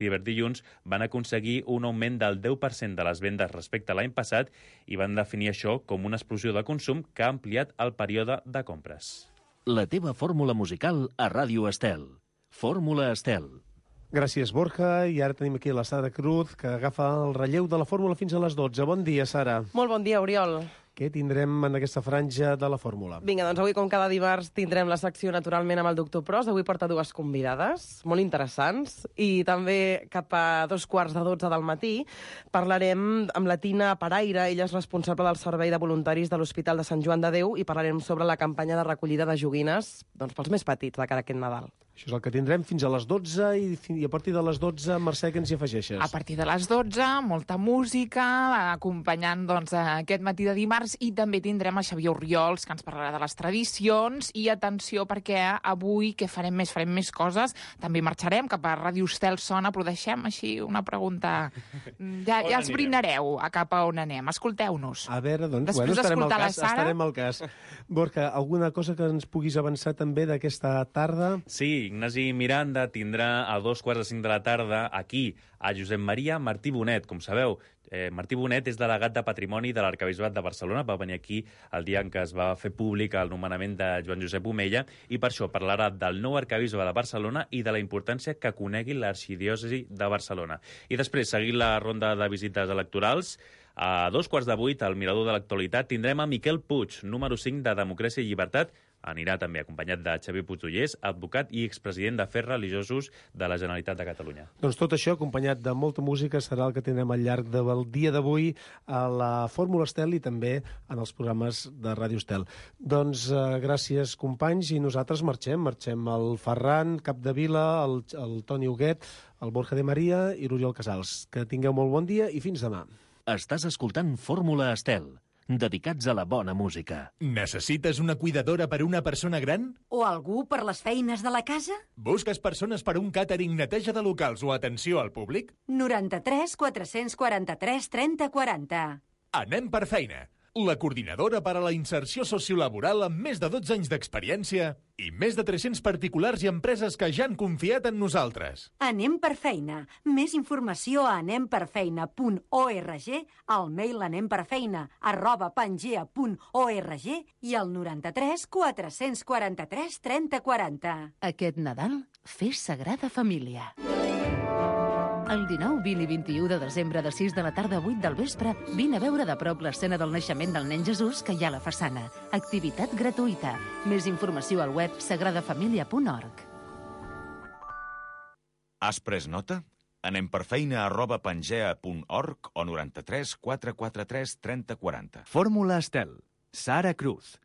divendres dilluns van aconseguir un augment del 10% de les vendes respecte a l'any passat i van definir això com una explosió de consum que ha ampliat el període de compres. La teva fórmula musical a Ràdio Estel. Fórmula Estel. Gràcies, Borja. I ara tenim aquí la Sara Cruz, que agafa el relleu de la fórmula fins a les 12. Bon dia, Sara. Molt bon dia, Oriol. Què tindrem en aquesta franja de la fórmula? Vinga, doncs avui, com cada dimarts, tindrem la secció naturalment amb el doctor Pros. Avui porta dues convidades molt interessants. I també cap a 2:15 del matí parlarem amb la Tina Paraire. Ella és responsable del Servei de Voluntaris de l'Hospital de Sant Joan de Déu i parlarem sobre la campanya de recollida de joguines pels més petits de cara a aquest Nadal. Això és el que tindrem fins a les 12 i a partir de les 12, Mercè, què ens hi afegeixes? A partir de les 12, molta música, acompanyant aquest matí de dimarts, i també tindrem a Xavier Orriols, que ens parlarà de les tradicions, i atenció, perquè avui què farem més? Farem més coses. També marxarem cap a Ràdio Estel Sona, però deixem així una pregunta. Ja esbrinareu a cap a on anem. Escolteu-nos. A veure, doncs, després d'escoltar la Sara... Estarem al cas. Borja, alguna cosa que ens puguis avançar també d'aquesta tarda? Sí, Ignasi Miranda tindrà a 2:45 de la tarda aquí a Josep Maria Martí Bonet. Com sabeu, Martí Bonet és delegat de Patrimoni de l'Arquebisbat de Barcelona. Va venir aquí el dia en què es va fer públic el nomenament de Joan Josep Omella i per això parlarà del nou arquebisbe de Barcelona i de la importància que conegui l'arxidiòcesi de Barcelona. I després, seguint la ronda de visites electorals, a 7:15 al Mirador de l'Actualitat tindrem a Miquel Puig, número 5 de Democràcia i Llibertat. Anirà també acompanyat de Xavier Puigdollers, advocat i expresident d'Afers Religiosos de la Generalitat de Catalunya. Doncs tot això, acompanyat de molta música, serà el que tindrem al llarg del dia d'avui a la Fórmula Estel i també en els programes de Ràdio Estel. Doncs gràcies, companys, i nosaltres marxem. Marxem el Ferran Capdevila, el Toni Huguet, el Borja de Maria i l'Oriol Casals. Que tingueu molt bon dia i fins demà. Estàs escoltant Fórmula Estel, dedicats a la bona música. Necessites una cuidadora per a una persona gran? O algú per les feines de la casa? Busques persones per a un càtering, neteja de locals o atenció al públic? 93 443 30 40. Anem per feina. La coordinadora per a la inserció sociolaboral amb més de 12 anys d'experiència i més de 300 particulars i empreses que ja han confiat en nosaltres. Anem per feina. Més informació a anemperfeina.org, al mail anemperfeina@pangea.org i al 93 443 30 40. Aquest Nadal, fes Sagrada Família. El 19, 20 i 21 de desembre, de 6 de la tarda a 8 del vespre, vine a veure de prop l'escena del naixement del nen Jesús que hi ha a la façana. Activitat gratuïta. Més informació al web sagradafamilia.org. Has pres nota? Anem per feina@pangea.org o 93 443 30 40. Fórmula Estel. Sara Cruz.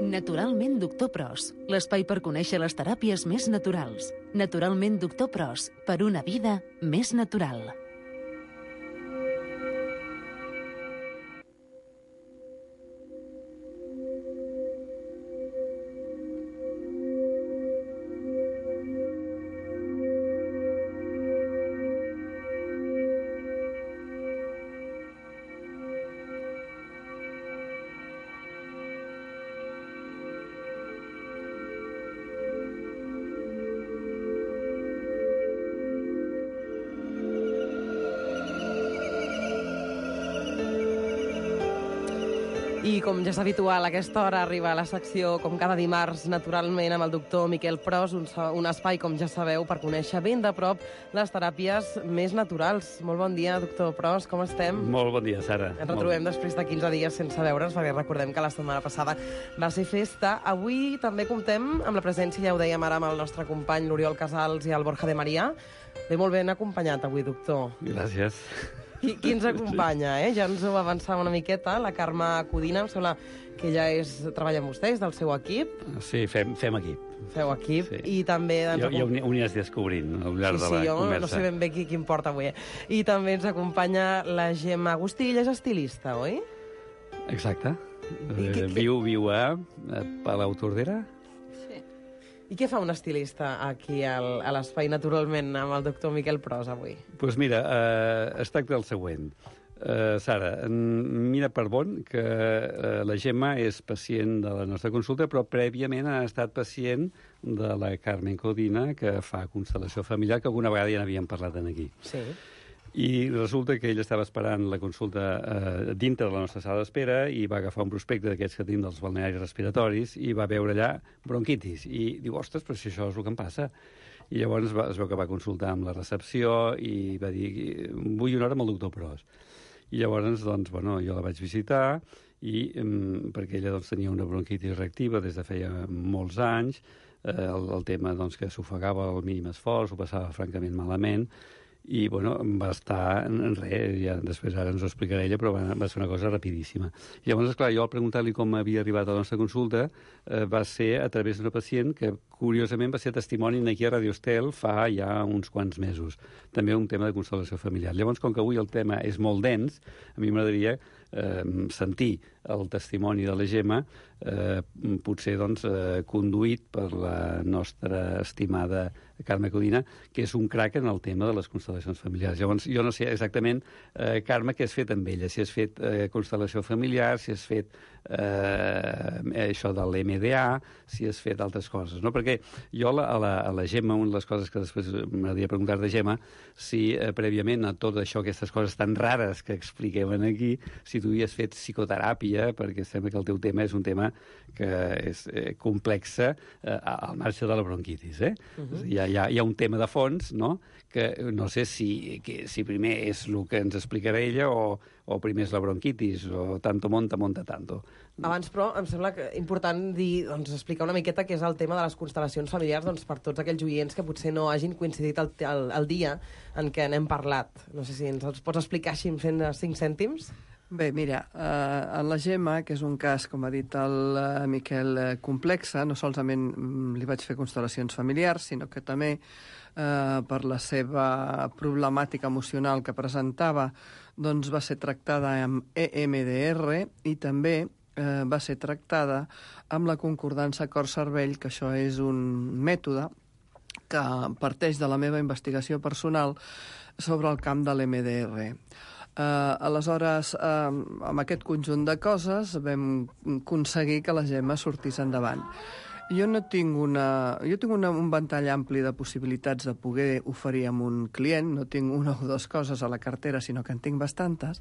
Naturalment Doctor Pros, l'espai per conèixer les teràpies més naturals. Naturalment Doctor Pros, per una vida més natural. I com ja és habitual, a aquesta hora arriba a la secció, com cada dimarts, naturalment, amb el doctor Miquel Pros, un espai, com ja sabeu, per conèixer ben de prop les teràpies més naturals. Molt bon dia, doctor Pros, com estem? Molt bon dia, Sara. Ens retrobem després de 15 dies sense veure'ns, perquè recordem que la setmana passada va ser festa. Avui també comptem amb la presència, ja ho dèiem ara, amb el nostre company, l'Oriol Casals i el Borja de Maria. Ve molt ben acompanyat avui, doctor. Gràcies. Qui ens acompanya, eh? Ja ens ho avançava una miqueta, la Carme Codina, em sembla que ja treballa amb vostès, del seu equip. Sí, fem equip. Feu equip, sí. I també... Jo ho aniràs descobrint al llarg de la conversa. Jo no sé ben bé qui em porta avui. I també ens acompanya la Gemma Agustí, ella és estilista, oi? Exacte. Viu a Palau Tordera. I què fa un estilista aquí a l'espai, naturalment, amb el doctor Miquel Pros avui? Doncs mira, es tracta del següent. Sara, mira per bon que la Gemma és pacient de la nostra consulta, però prèviament ha estat pacient de la Carmen Codina, que fa constel·lació familiar, que alguna vegada ja n'havíem parlat aquí. Sí. I resulta que ell estava esperant la consulta dintre de la nostra sala d'espera i va agafar un prospecte d'aquests que tenim dels balnearis respiratoris i va veure allà bronquitis. I diu, ostres, però si això és el que em passa. I llavors es veu que va consultar amb la recepció i va dir, vull una hora amb el doctor Pros. I llavors, doncs, bueno, jo la vaig visitar perquè ella doncs, tenia una bronquitis reactiva des de feia molts anys, el tema doncs, que s'ofegava al mínim esforç, ho passava francament malament, i bueno, va estar en res, ja després ara ens ho explicarà ella, però va ser una cosa rapidíssima. I llavors, esclar, jo al preguntar-li com havia arribat a la nostra consulta va ser a través d'una pacient que curiosament va ser testimoni aquí a Radio Estel fa ja uns quants mesos. També un tema de constel·lació familiar. Llavors, com que avui el tema és molt dens, a mi m'agradaria sentir el testimoni de la Gemma, potser doncs, conduït per la nostra estimada Carme Codina, que és un crac en el tema de les constel·lacions familiars. Llavors, jo no sé exactament, Carme, què has fet amb ella? Si has fet constel·lació familiar, si has fet això de l'MDA, si has fet altres coses, no? Perquè jo a la Gemma, una de les coses que després m'agradaria preguntar de Gemma, si prèviament a tot això, aquestes coses tan rares que expliquem aquí, si tu havies fet psicoteràpia, perquè sembla que el teu tema és un tema que és complexa al marge de la bronquitis, eh? Hi ha un tema de fons, no?, que no sé si primer és el que ens explicarà ella o primer és la bronquitis, o tanto monta tanto. Abans, però, em sembla important dir, doncs, explicar una miqueta què és el tema de les constel·lacions familiars, doncs, per tots aquells oients que potser no hagin coincidit el dia en què n'hem parlat. No sé si ens els pots explicar així fent 5 cèntims? Bé, mira, en la Gemma, que és un cas, com ha dit el Miquel, complexa, no solament li vaig fer constel·lacions familiars, sinó que també per la seva problemàtica emocional que presentava, doncs va ser tractada amb EMDR i també va ser tractada amb la concordança cor-cervell, que això és un mètode que parteix de la meva investigació personal sobre el camp de l'EMDR. Aleshores, amb aquest conjunt de coses vam aconseguir que la Gemma sortís endavant. Jo tinc un ventall ampli de possibilitats de poder oferir a un client, no tinc una o dues coses a la cartera, sinó que en tinc bastantes,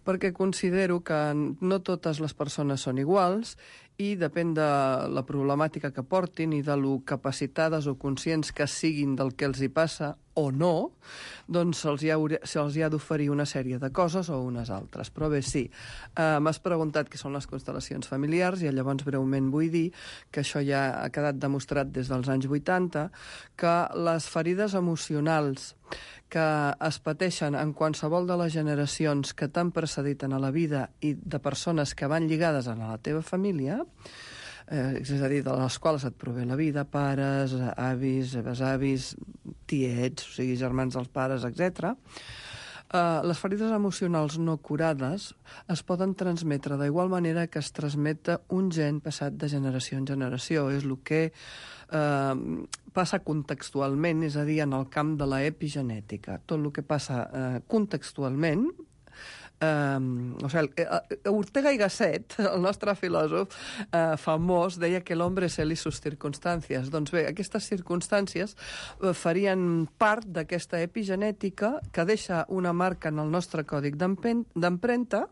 perquè considero que no totes les persones són iguals i depèn de la problemàtica que portin i de lo capacitades o conscients que siguin del que els hi passa o no, doncs se'ls hi ha d'oferir una sèrie de coses o unes altres. Però bé, sí, m'has preguntat què són les constel·lacions familiars i llavors breument vull dir que això ja ha quedat demostrat des dels anys 80, que les ferides emocionals que es pateixen en qualsevol de les generacions que t'han precedit en la vida i de persones que van lligades a la teva família, és a dir, de les quals et prové la vida, pares, avis, besavis, tiets, o sigui, germans dels pares, etc. Les ferides emocionals no curades es poden transmetre d'igual manera que es transmet un gen passat de generació en generació. És el que passa contextualment, és a dir, en el camp de l'epigenètica. Tot el que passa contextualment, Ortega y Gasset, el nostre filòsof famós, deia que l'hombre es él y sus circunstàncies. Doncs bé, aquestes circumstàncies farien part d'aquesta epigenètica que deixa una marca en el nostre còdic d'empremta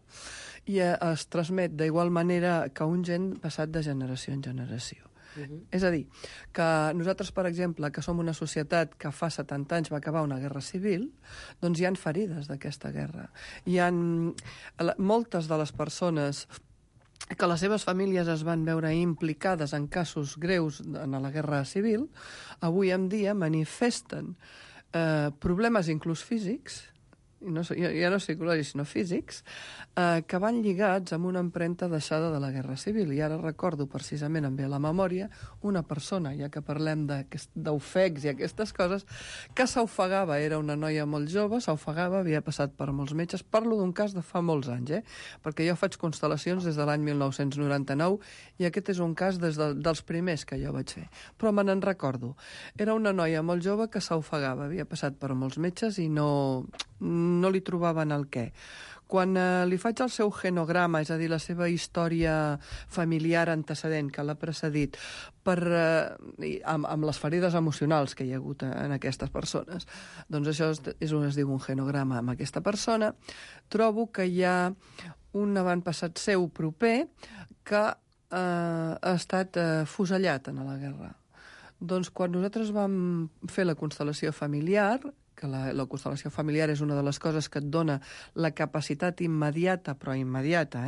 i es transmet d'igual manera que un gen passat de generació en generació. És a dir, que nosaltres, per exemple, que som una societat que fa 70 anys va acabar una guerra civil, doncs hi han ferides d'aquesta guerra. Hi ha moltes de les persones que les seves famílies es van veure implicades en casos greus en la guerra civil, avui en dia manifesten problemes inclús físics, ja no psicològics, sinó físics, que van lligats amb una empremta deixada de la Guerra Civil. I ara recordo, precisament, em ve a la memòria, una persona, ja que parlem d'ofecs i aquestes coses, que s'ofegava, era una noia molt jove, s'ofegava, havia passat per molts metges. Parlo d'un cas de fa molts anys, perquè jo faig constel·lacions des de l'any 1999 i aquest és un cas dels primers que jo vaig fer. Però me n'en recordo. Era una noia molt jove que s'ofegava, havia passat per molts metges i no no li trobaven el què. Quan li faig el seu genograma, és a dir, la seva història familiar antecedent que l'ha precedit, amb les ferides emocionals que hi ha hagut en aquestes persones, doncs això és on es diu un genograma amb aquesta persona, trobo que hi ha un avantpassat seu proper que ha estat fusellat en la guerra. Doncs quan nosaltres vam fer la constel·lació familiar, que la constel·lació familiar és una de les coses que et dona la capacitat immediata, però immediata,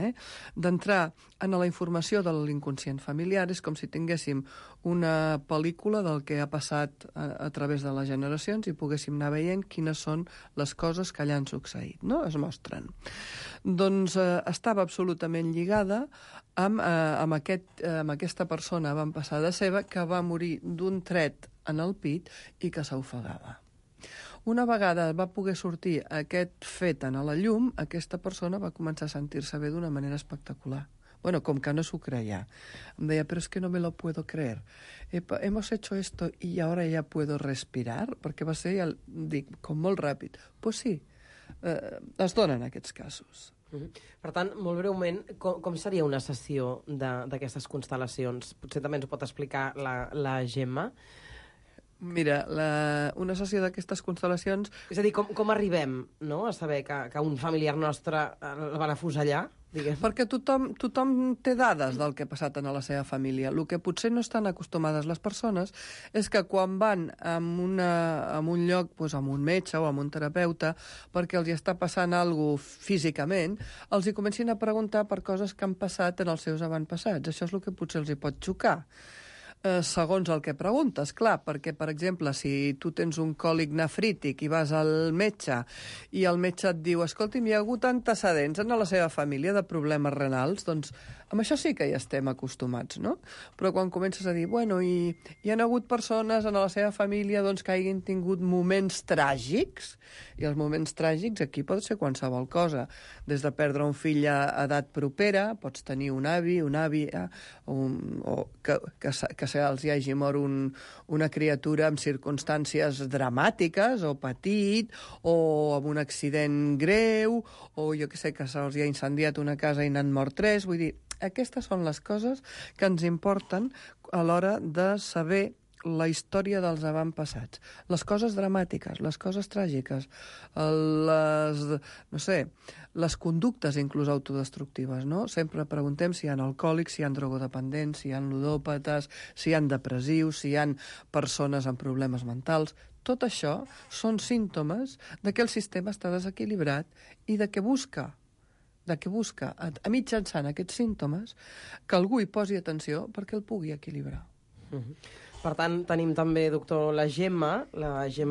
d'entrar en la informació de l'inconscient familiar. És com si tinguéssim una pel·lícula del que ha passat a través de les generacions i poguéssim anar veient quines són les coses que allà han succeït, no? Es mostren. Doncs estava absolutament lligada amb aquesta persona avantpassada seva que va morir d'un tret en el pit i que s'ofegava. Una vegada va poder sortir aquest fet a la llum, aquesta persona va començar a sentir-se bé d'una manera espectacular. Bueno, com que no s'ho creia. Em deia, però és que no me lo puedo creer. Hemos hecho esto y ahora ya puedo respirar, perquè va ser, dic, com molt ràpid. Pues sí, es donen aquests casos. Per tant, molt breument, com seria una sessió d'aquestes constel·lacions? Potser també ens ho pot explicar la Gemma. Mira, una sessió d'aquestes constel·lacions... És a dir, com arribem a saber que un familiar nostre el van afusellar? Perquè tothom té dades del que ha passat en la seva família. El que potser no estan acostumades les persones és que quan van a un lloc, amb un metge o amb un terapeuta, perquè els hi està passant alguna cosa físicament, els hi comencin a preguntar per coses que han passat en els seus avantpassats. Això és el que potser els hi pot xocar. Segons el que preguntes, clar, perquè, per exemple, si tu tens un còlic nefrític i vas al metge i el metge et diu, escolti'm, hi ha hagut antecedents en la seva família de problemes renals, doncs amb això sí que hi estem acostumats, no? Però quan comences a dir, bueno, i hi ha hagut persones en la seva família doncs, que hagin tingut moments tràgics, i els moments tràgics aquí pot ser qualsevol cosa, des de perdre un fill a edat propera, pots tenir un avi, una àvia, o que se'ls hi hagi mort una criatura amb circumstàncies dramàtiques, o petit, o amb un accident greu, o jo que sé, que se'ls hi ha incendiat una casa i n'han mort 3, vull dir, aquestes són les coses que ens importen a l'hora de saber la història dels avantpassats. Les coses dramàtiques, les coses tràgiques, les conductes inclús autodestructives, no? Sempre preguntem si hi ha alcohòlics, si hi ha drogodependents, si hi ha ludòpates, si hi ha depressius, si hi ha persones amb problemes mentals. Tot això són símptomes de que el sistema està desequilibrat i de que busca a mitjançant aquests símptomes que algú hi posi atenció perquè el pugui equilibrar. Per tant, tenim també, doctor, la Gemma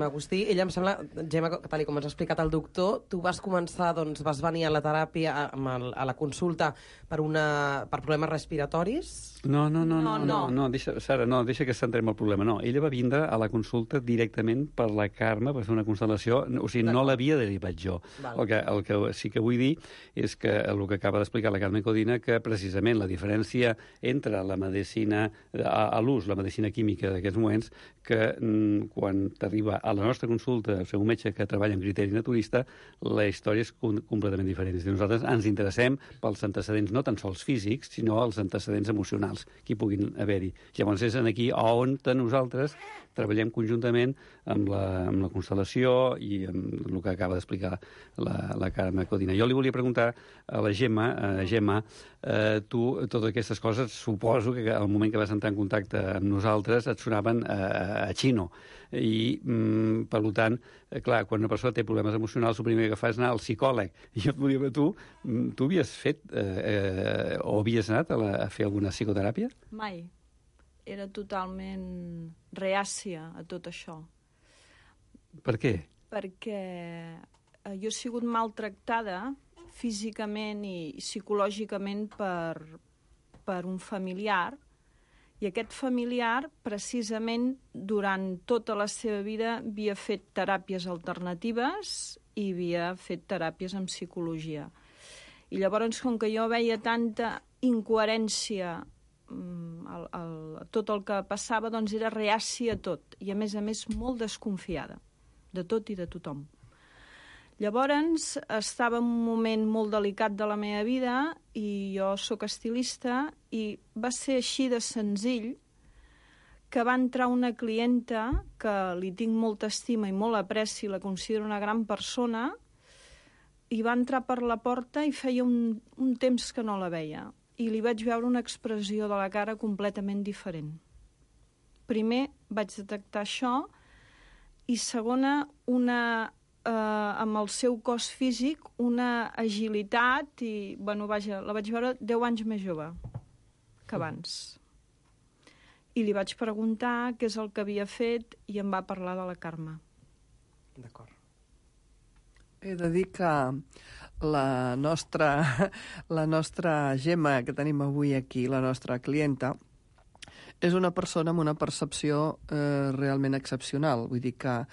Agustí. Ella, em sembla, Gemma, tal com ens ha explicat el doctor, tu vas començar, doncs, vas venir a la teràpia, a la consulta, per problemes respiratoris? No, Sara, deixa que centrem el problema. No, ella va vindre a la consulta directament per la Carme, per fer una constel·lació, o sigui, no l'havia derivat jo. El que sí que vull dir és que el que acaba d'explicar la Carme Codina, que precisament la diferència entre la medicina a l'ús, la medicina química d'aquests moments, que quan t'arriba a la nostra consulta el seu metge que treballa en criteri naturista, la història és completament diferent. És a dir, nosaltres ens interessem pels antecedents no tan sols físics, sinó els antecedents emocionals que hi puguin haver-hi. Llavors és aquí on nosaltres treballem conjuntament amb la constel·lació i amb el que acaba d'explicar la Carme Codina. Jo li volia preguntar a la Gemma, tu, totes aquestes coses, suposo que al moment que vas entrar en contacte amb nosaltres et sonaven a xino. I, per tant, clar, quan una persona té problemes emocionals, el primer que fa és anar al psicòleg. I jo et volia dir, tu havies fet o havies anat a fer alguna psicoteràpia? Mai. Era totalment reàcia a tot això. Per què? Perquè jo he sigut maltractada físicament i psicològicament per un familiar, i aquest familiar, precisament, durant tota la seva vida havia fet teràpies alternatives i havia fet teràpies en psicologia. I llavors, com que jo veia tanta incoherència tot el que passava, doncs era reàcia a tot, i a més molt desconfiada de tot i de tothom. Llavors, estava en un moment molt delicat de la meva vida i jo sóc estilista i va ser així de senzill que va entrar una clienta que li tinc molta estima i molt apreci, la considero una gran persona, i va entrar per la porta i feia un temps que no la veia. I li vaig veure una expressió de la cara completament diferent. Primer vaig detectar això i segona, amb el seu cos físic, una agilitat i, vaja, la vaig veure 10 anys més jove que abans. I li vaig preguntar què és el que havia fet i em va parlar de la Carme. D'acord. He de dir que la nostra Gemma que tenim avui aquí, la nostra clienta, és una persona amb una percepció realment excepcional. Vull dir que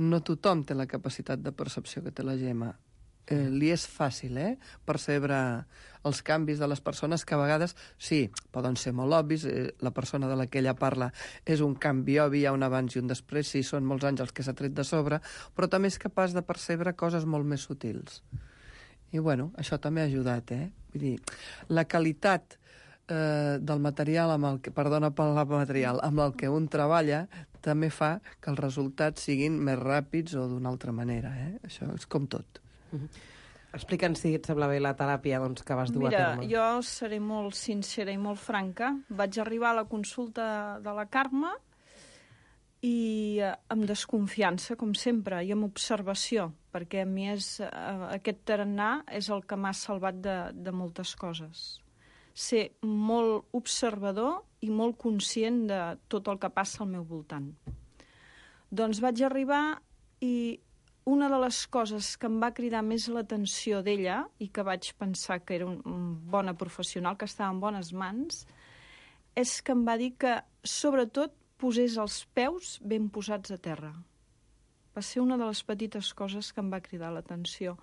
no tothom té la capacitat de percepció que té la Gemma. Li és fàcil, percebre els canvis de les persones que a vegades, sí, poden ser molt obvis, la persona de la que ella parla és un canvi obvi, hi ha un abans i un després, sí, són molts anys els que s'ha tret de sobre, però també és capaç de percebre coses molt més sutils. I, bueno, això també ha ajudat, Vull dir, la qualitat del material amb el que, perdona pel material, amb el que un treballa també fa que els resultats siguin més ràpids o d'una altra manera, Això és com tot. Explica'ns, si et sembla bé, la teràpia que vas dur a terme. Mira, jo seré molt sincera i molt franca. Vaig arribar a la consulta de la Carme i amb desconfiança, com sempre, i amb observació, perquè a mi aquest tarannà és el que m'ha salvat de moltes coses. Ser molt observador i molt conscient de tot el que passa al meu voltant. Doncs vaig arribar i una de les coses que em va cridar més l'atenció d'ella i que vaig pensar que era una bona professional, que estava en bones mans, és que em va dir que, sobretot, posés els peus ben posats a terra. Va ser una de les petites coses que em va cridar l'atenció.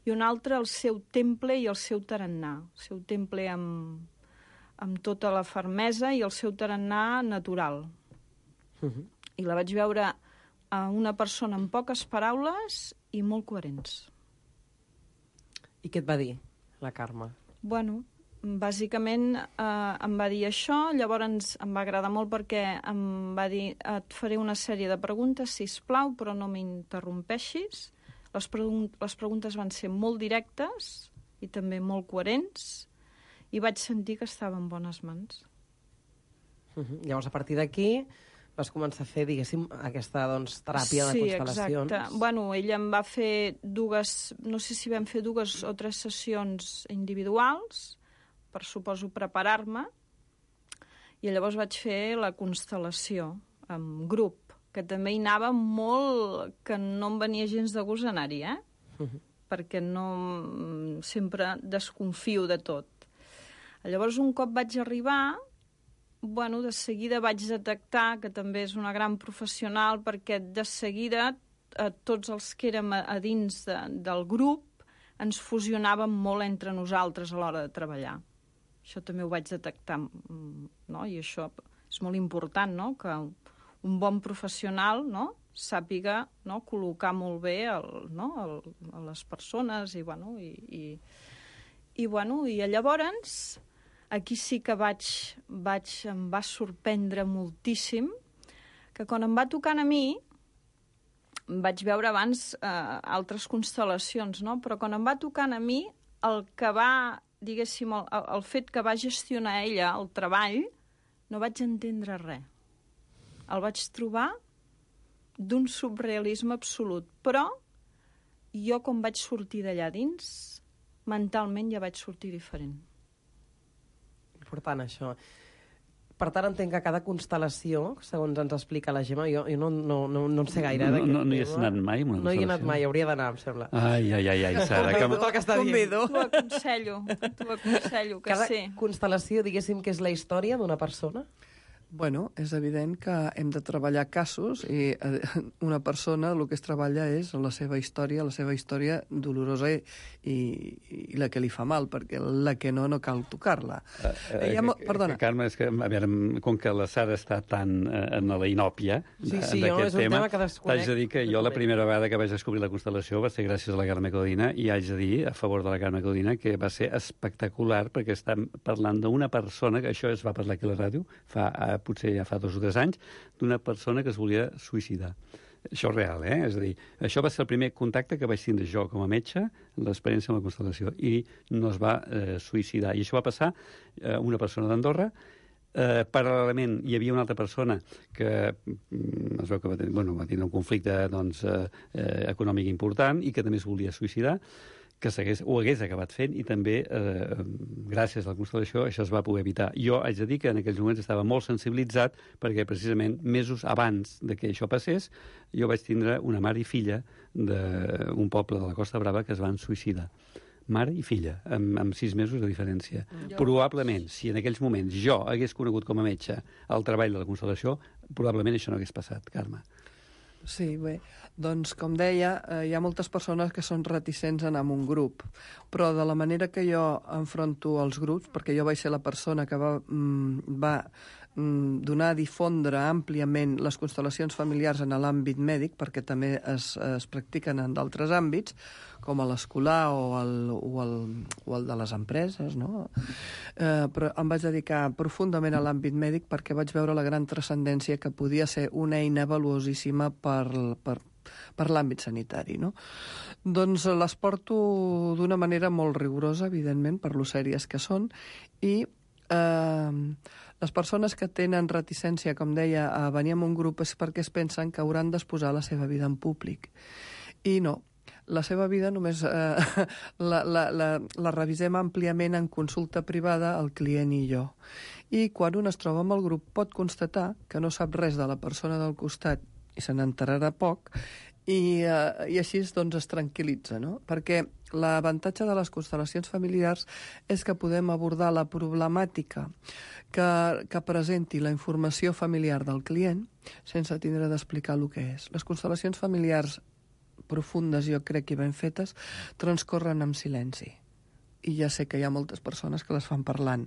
I una altra, el seu temple i el seu tarannà. El seu temple amb tota la fermesa i el seu tarannà natural. I la vaig veure una persona amb poques paraules i molt coherents. I què et va dir, la Carme? Bueno, bàsicament em va dir això, llavors em va agradar molt perquè em va dir et faré una sèrie de preguntes, sisplau, però no m'interrompeixis. Les preguntes van ser molt directes i també molt coherents i vaig sentir que estava en bones mans. Llavors, a partir d'aquí, vas començar a fer, diguéssim, aquesta teràpia de constel·lacions. Sí, exacte. Bueno, ella em va fer no sé si vam fer 2 o 3 sessions individuals, per suposo preparar-me, i llavors vaig fer la constel·lació en grup, que també hi anava molt, que no em venia gens de gust anar-hi, perquè no sempre desconfio de tot. Llavors, un cop vaig arribar, bueno, de seguida vaig detectar que també és una gran professional, perquè de seguida tots els que érem a dins del grup ens fusionàvem molt entre nosaltres a l'hora de treballar. Això també ho vaig detectar, no? I això és molt important, no? Que un bon professional, no? Sàpiga, no? Col·locar molt bé a les persones i llavors aquí sí que em va sorprendre moltíssim que quan em va tocant a mi vaig veure abans altres constel·lacions, no? Però quan em va tocant a mi el que va, diguéssim, el fet que va gestionar ella el treball, no vaig entendre res. El vaig trobar d'un surrealisme absolut. Però jo, quan vaig sortir d'allà dins, mentalment ja vaig sortir diferent. Important, això. Per tant, entenc que cada constel·lació, segons ens explica la Gemma, jo no en sé gaire. No hi has anat mai? No hi he anat mai, hauria d'anar, em sembla. Ai, Sara. Tot el que està dient. T'ho aconsello que cada sí. Cada constel·lació, diguéssim, que és la història d'una persona? Bueno, és evident que hem de treballar casos i una persona el que es treballa és la seva història dolorosa i la que li fa mal, perquè la que no cal tocar-la. Perdona. Carme, és que, a veure, com que la Sara està tan en la inòpia d'aquest tema, t'haig de dir que jo la primera vegada que vaig descobrir la constel·lació va ser gràcies a la Carme Codina, i haig de dir, a favor de la Carme Codina, que va ser espectacular, perquè estem parlant d'una persona, que això es va parlar aquí a la ràdio, potser ja fa 2 o 3 anys, d'una persona que es volia suïcidar. Això és real, És a dir, això va ser el primer contacte que vaig tindre jo com a metge, l'experiència amb la constel·lació, i no es va suïcidar. I això va passar a una persona d'Andorra. Paral·lelament hi havia una altra persona que es veu que va tenir un conflicte econòmic important i que també es volia suïcidar, que ho hagués acabat fent, i també, gràcies a la constel·lació, això es va poder evitar. Jo haig de dir que en aquells moments estava molt sensibilitzat, perquè precisament mesos abans de que això passés, jo vaig tindre una mare i filla d'un poble de la Costa Brava que es van suïcidar. Mare i filla, amb 6 mesos de diferència. Probablement, si en aquells moments jo hagués conegut com a metge el treball de la constel·lació, probablement això no hagués passat, Carme. Sí, bé, doncs com deia, hi ha moltes persones que són reticents a anar a un grup, però de la manera que jo enfronto els grups, perquè jo vaig ser la persona que va donar a difondre àmpliament les constel·lacions familiars en l'àmbit mèdic, perquè també es practiquen en d'altres àmbits, com l'escolar o el de les empreses, no? Però em vaig dedicar profundament a l'àmbit mèdic perquè vaig veure la gran transcendència que podia ser una eina valuosíssima per l'àmbit sanitari, no? Doncs les porto d'una manera molt rigorosa, evidentment, per lo sèries que són, i les persones que tenen reticència, com deia, a venir en un grup és perquè es pensen que hauran d'exposar la seva vida en públic. I no, la seva vida només la revisem àmpliament en consulta privada el client i jo. I quan un es troba amb el grup pot constatar que no sap res de la persona del costat i se n'enterarà poc, i així doncs es tranquil·litza, no? Perquè l'avantatge de les constel·lacions familiars és que podem abordar la problemàtica que presenti la informació familiar del client sense tindre d'explicar el que és. Les constel·lacions familiars profundes, jo crec, i ben fetes, transcorren en silenci. I ja sé que hi ha moltes persones que les fan parlant.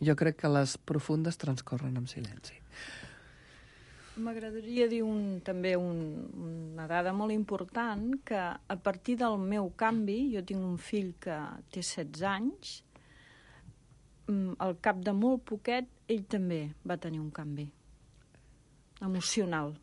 Jo crec que les profundes transcorren en silenci. M'agradaria dir també una dada molt important, que a partir del meu canvi, jo tinc un fill que té 16 anys, al cap de molt poquet, ell també va tenir un canvi emocional.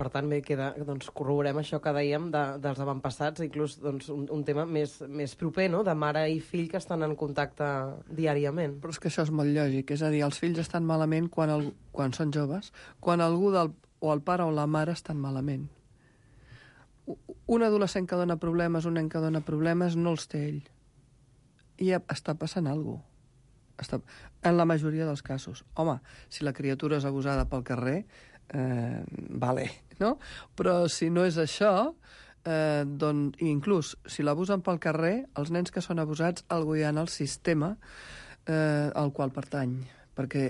Per tant, bé, doncs, corroborem això que dèiem dels avantpassats, inclús doncs, un tema més proper, no?, de mare i fill que estan en contacte diàriament. Però és que això és molt lògic, és a dir, els fills estan malament quan són joves, quan algú o el pare o la mare estan malament. Un adolescent que dona problemes, un nen que dona problemes, no els té ell. I està passant alguna cosa. En la majoria dels casos. Home, si la criatura és abusada pel carrer, vale, no? Però si no és això, doncs, inclús si l'abusen pel carrer, els nens que són abusats algú hi ha en el sistema al qual pertany, perquè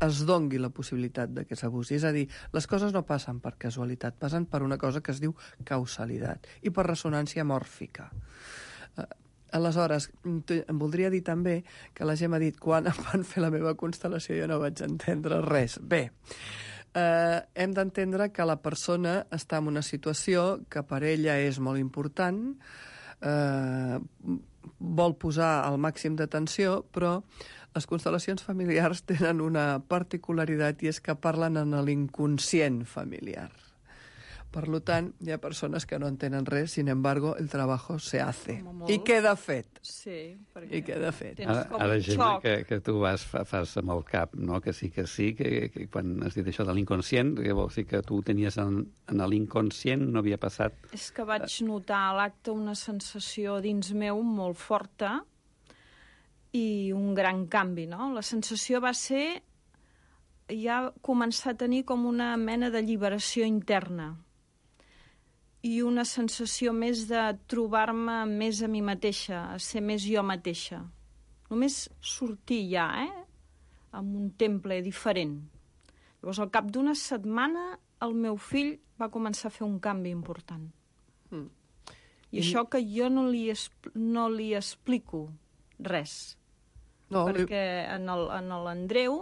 es dongui la possibilitat que s'abusi. És a dir, les coses no passen per casualitat, passen per una cosa que es diu causalitat i per ressonància mòrfica. Aleshores, em voldria dir també que la Gemma ha dit quan em van fer la meva constel·lació jo no vaig entendre res. Bé, hem d'entendre que la persona està en una situació que per ella és molt important, vol posar el màxim d'atenció, però les constel·lacions familiars tenen una particularitat i és que parlen en l'inconscient familiar. Per tant, hi ha persones que no entenen res, sin embargo, el trabajo se hace. I queda fet. Sí, perquè... I queda fet. Ara, Gemma, que tu fas amb el cap, no? Que que quan has dit això de l'inconscient, que vols dir que tu tenies en l'inconscient, no havia passat... És que vaig notar a l'acte una sensació dins meu molt forta i un gran canvi, no? La sensació va ser ja començar a tenir com una mena d'alliberació interna i una sensació més de trobar-me més a mi mateixa, a ser més jo mateixa. Només sortir ja, en un temple diferent. Llavors, al cap d'una setmana, el meu fill va començar a fer un canvi important. I això que jo no li explico res. No, perquè en l'Andreu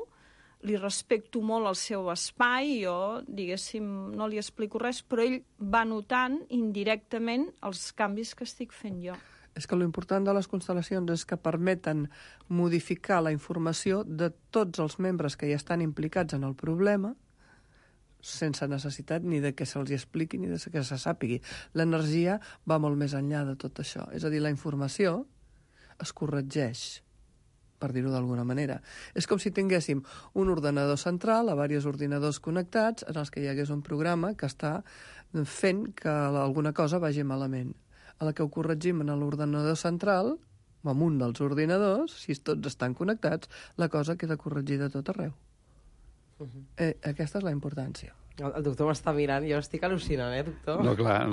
li respecto molt el seu espai, jo, diguéssim, no li explico res, però ell va notant indirectament els canvis que estic fent jo. És que l'important de les constel·lacions és que permeten modificar la informació de tots els membres que ja estan implicats en el problema sense necessitat ni de que se'ls expliqui ni de que se sàpigui. L'energia va molt més enllà de tot això. És a dir, la informació es corregeix, per dir-ho d'alguna manera. És com si tinguéssim un ordenador central a diversos ordinadors connectats en els que hi hagués un programa que està fent que alguna cosa vagi malament. A la que ho corregim en l'ordenador central, o en un dels ordinadors, si tots estan connectats, la cosa queda corregida a tot arreu. Aquesta és la importància. El doctor m'està mirant, jo estic al·lucinant, doctor? No, clar,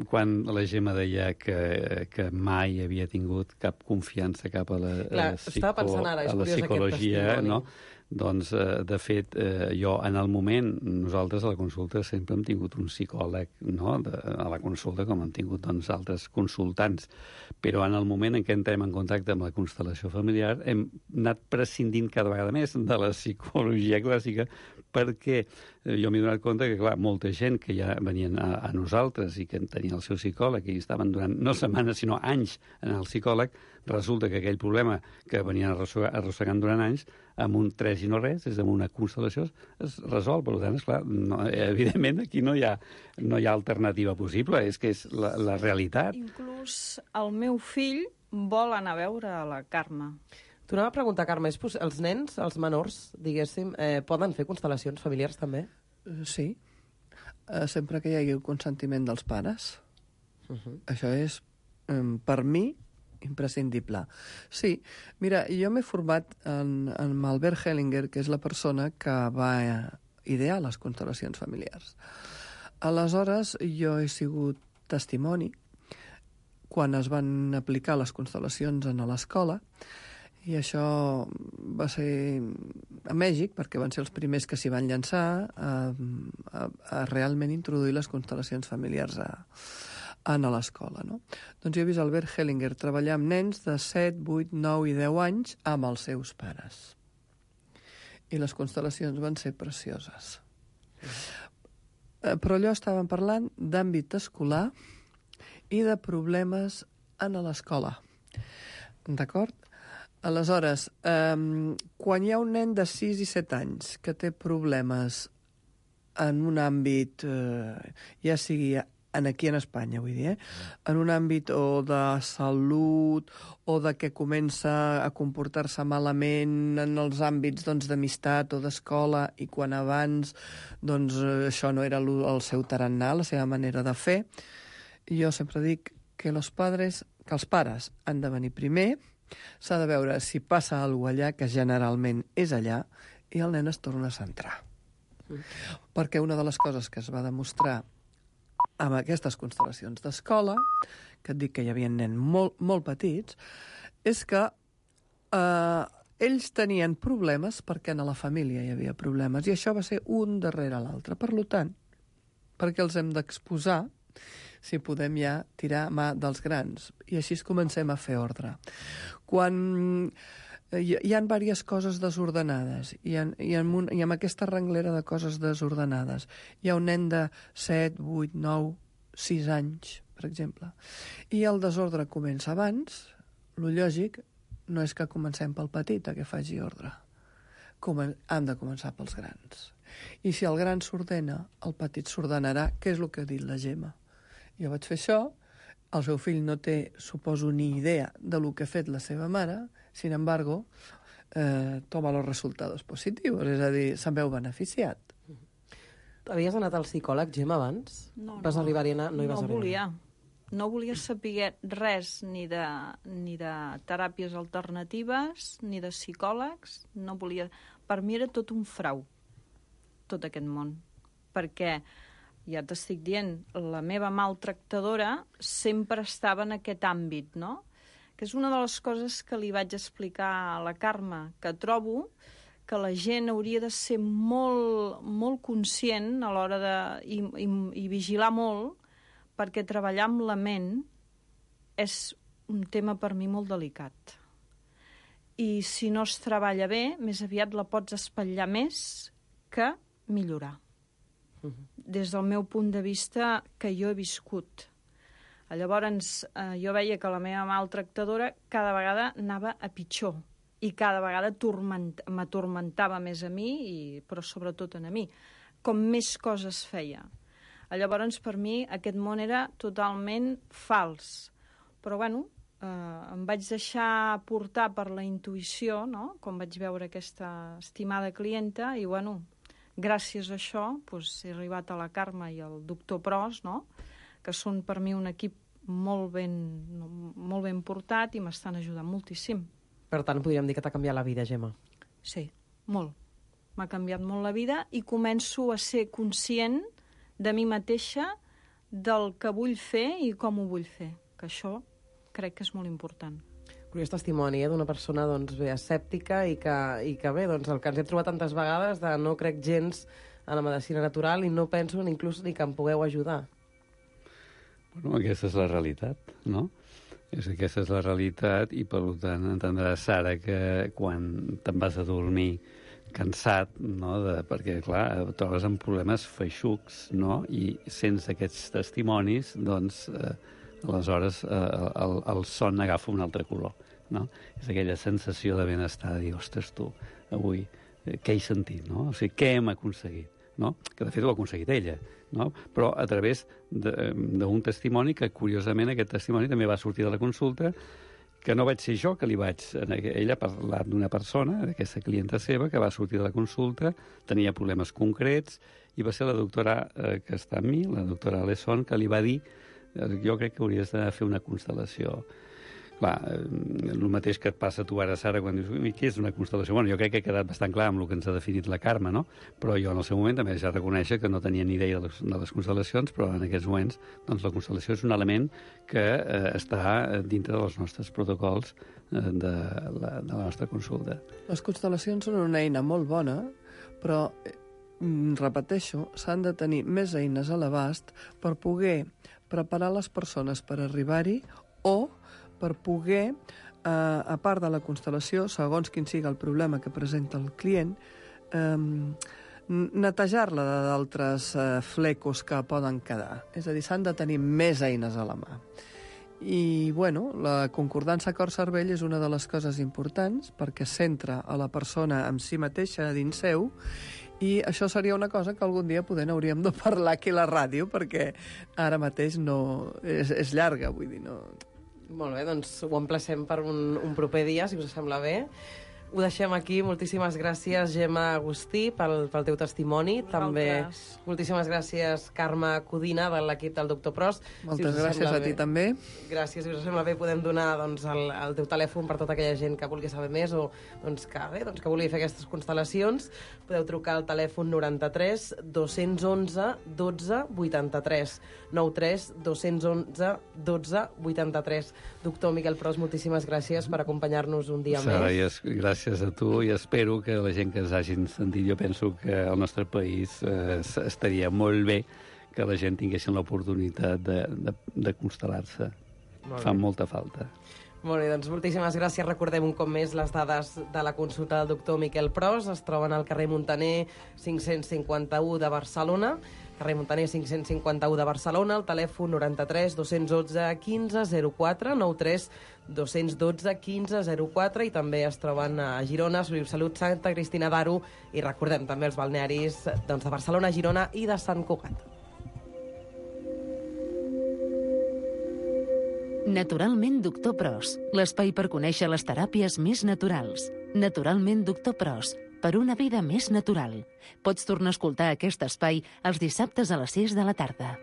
quan la Gemma deia que mai havia tingut cap confiança cap a la psicologia, no? Doncs, de fet, jo, en el moment, nosaltres a la consulta sempre hem tingut un psicòleg, no?, a la consulta, com hem tingut doncs, altres consultants. Però en el moment en què entrem en contacte amb la constel·lació familiar hem anat prescindint cada vegada més de la psicologia clàssica perquè jo m'he donat compte que, clar, molta gent que ja venien a nosaltres i que tenien el seu psicòleg i estaven durant no setmanes, sinó anys en el psicòleg, resulta que aquell problema que venien arrossegant durant anys, amb un 3 i no res, és amb una constel·lació, es resol. Per tant, esclar, evidentment aquí no hi ha alternativa possible, és que és la realitat. Inclús el meu fill vol anar a veure a la Carme. T'ho anava a preguntar, Carme, els nens, els menors, diguéssim, poden fer constel·lacions familiars també? Sí, sempre que hi hagi el consentiment dels pares. Això és, per mi, imprescindible. Sí, mira, jo m'he format amb Albert Hellinger, que és la persona que va idear les constel·lacions familiars. Aleshores, jo he sigut testimoni quan es van aplicar les constel·lacions a l'escola, i això va ser a Mèxic, perquè van ser els primers que s'hi van llançar a realment introduir les constel·lacions familiars a l'escola, no? Doncs jo he vist Albert Hellinger treballar amb nens de 7, 8, 9 i 10 anys amb els seus pares. I les constel·lacions van ser precioses. Però allò estàvem parlant d'àmbit escolar i de problemes en l'escola. D'acord? Aleshores, quan hi ha un nen de 6 i 7 anys que té problemes en un àmbit, ja sigui aquí en Espanya, vull dir, en un àmbit o de salut o de que comença a comportar-se malament en els àmbits d'amistat o d'escola i quan abans això no era el seu tarannà, la seva manera de fer, jo sempre dic que els pares han de venir primer, s'ha de veure si passa alguna cosa allà, que generalment és allà, i el nen es torna a centrar. Perquè una de les coses que es va demostrar amb aquestes constel·lacions d'escola, que et dic que hi havia nens molt petits, és que ells tenien problemes perquè en la família hi havia problemes, i això va ser un darrere l'altre. Per tant, perquè els hem d'exposar, si podem ja tirar mà dels grans, i així comencem a fer ordre. Quan hi ha diverses coses desordenades, i amb aquesta renglera de coses desordenades hi ha un nen de 7, 8, 9, 6 anys, per exemple, i el desordre comença abans, el lògic no és que comencem pel petit a que faci ordre. Hem de començar pels grans. I si el gran s'ordena, el petit s'ordenarà, que és el que ha dit la Gemma. Jo vaig fer això, el seu fill no té, suposo, ni idea de lo que ha fet la seva mare, sin embargo, toma los resultados positivos, és a dir, se'n veu beneficiat. Havies anat al psicòleg, Gemma, abans? No, vas arribar-hi a anar? No volia. No volia saber res ni de teràpies alternatives, ni de psicòlegs. No volia. Per mi era tot un frau, tot aquest món. Perquè, ja t'estic dient, la meva maltractadora sempre estava en aquest àmbit, no? que és una de les coses que li vaig explicar a la Carme, que trobo que la gent hauria de ser molt conscient a l'hora de... i vigilar molt, perquè treballar amb la ment és un tema per mi molt delicat. I si no es treballa bé, més aviat la pots espatllar més que millorar. Des del meu punt de vista que jo he viscut. Llavors, jo veia que la meva maltractadora cada vegada anava a pitjor i cada vegada m'atormentava més a mi, però sobretot a mi, com més coses feia. Llavors, per mi, aquest món era totalment fals. Però, bueno, em vaig deixar portar per la intuïció, no?, quan vaig veure aquesta estimada clienta, i, bueno, gràcies a això he arribat a la Carme i al doctor Pros, no?, que són per mi un equip molt ben portat i m'estan ajudant moltíssim. Per tant, podríem dir que t'ha canviat la vida, Gemma. Sí, molt. M'ha canviat molt la vida i començo a ser conscient de mi mateixa, del que vull fer i com ho vull fer. Que això crec que és molt important. Curiós testimoni, d'una persona escèptica i que bé, el que ens hem trobat tantes vegades de no crec gens en la medicina natural i no penso inclús ni que em pugueu ajudar. Bueno, aquesta és la realitat, no? Aquesta és la realitat i, per tant, entendràs, Sara, que quan te'n vas a dormir cansat, no? Perquè, clar, trobes amb problemes feixucs, no? I sense aquests testimonis, doncs, aleshores el son agafa un altre color, no? És aquella sensació de benestar, de dir, ostres, tu, avui, què he sentit, no? O sigui, què hem aconseguit, no? Que, de fet, ho ha aconseguit ella, no? Però a través d'un testimoni que, curiosament, aquest testimoni també va sortir de la consulta, que no vaig ser jo que li vaig... Ella ha parlat d'una persona, d'aquesta clienta seva, que va sortir de la consulta, tenia problemes concrets, i va ser la doctora que està amb mi, la doctora Alesson, que li va dir jo crec que hauries de fer una constel·lació. Clar, el mateix que et passa a tu ara, Sara, quan dius, què és una constel·lació? Bueno, jo crec que ha quedat bastant clar amb el que ens ha definit la Carme, no? Però jo en el seu moment també ja reconèixer que no tenia ni idea de les constel·lacions, però en aquests moments doncs, la constel·lació és un element que està dintre dels nostres protocols de la nostra consulta. Les constel·lacions són una eina molt bona, però, repeteixo, s'han de tenir més eines a l'abast per poder preparar les persones per arribar-hi o per poder, a part de la constel·lació, segons quin sigui el problema que presenta el client, netejar-la d'altres flecos que poden quedar. És a dir, s'han de tenir més eines a la mà. I, bueno, la concordança cor-cervell és una de les coses importants perquè centra a la persona en si mateixa dins seu, i això seria una cosa que algun dia hauríem de parlar aquí a la ràdio, perquè ara mateix no... és llarga, vull dir, no... Molt bé, doncs ho emplacem per un proper dia, si us sembla bé. Ho deixem aquí. Moltíssimes gràcies, Gemma Agustí, pel teu testimoni. També moltíssimes gràcies, Carme Codina, de l'equip del Dr. Pros. Moltes gràcies a ti també. Gràcies, si us sembla bé, podem donar el teu telèfon per tota aquella gent que vulgui saber més o que vulgui fer aquestes constel·lacions. Podeu trucar al telèfon 93 211 12 83. 93 211 12 83. Doctor Miquel Pros, moltíssimes gràcies per acompanyar-nos un dia més. Gràcies a tu i espero que la gent que ens hagin sentit, jo penso que al nostre país estaria molt bé que la gent tinguessin l'oportunitat de constel·lar-se. Fa molta falta. Molt bé, doncs moltíssimes gràcies. Recordem un cop més les dades de la consulta del doctor Miquel Pros. Es troben al carrer Muntaner 551 de Barcelona. Carrer Muntaner 551 de Barcelona, el telèfon 93 211 15 04, 93 212 15 04, i també es troben a Girona, Salut, Santa Cristina d'Aro, i recordem també els balnearis de Barcelona, Girona i de Sant Cugat. Naturalment Doctor Pros, l'espai per conèixer les teràpies més naturals. Naturalment Doctor Pros, per una vida més natural. Pots tornar a escoltar aquest espai els dissabtes a les 6 de la tarda.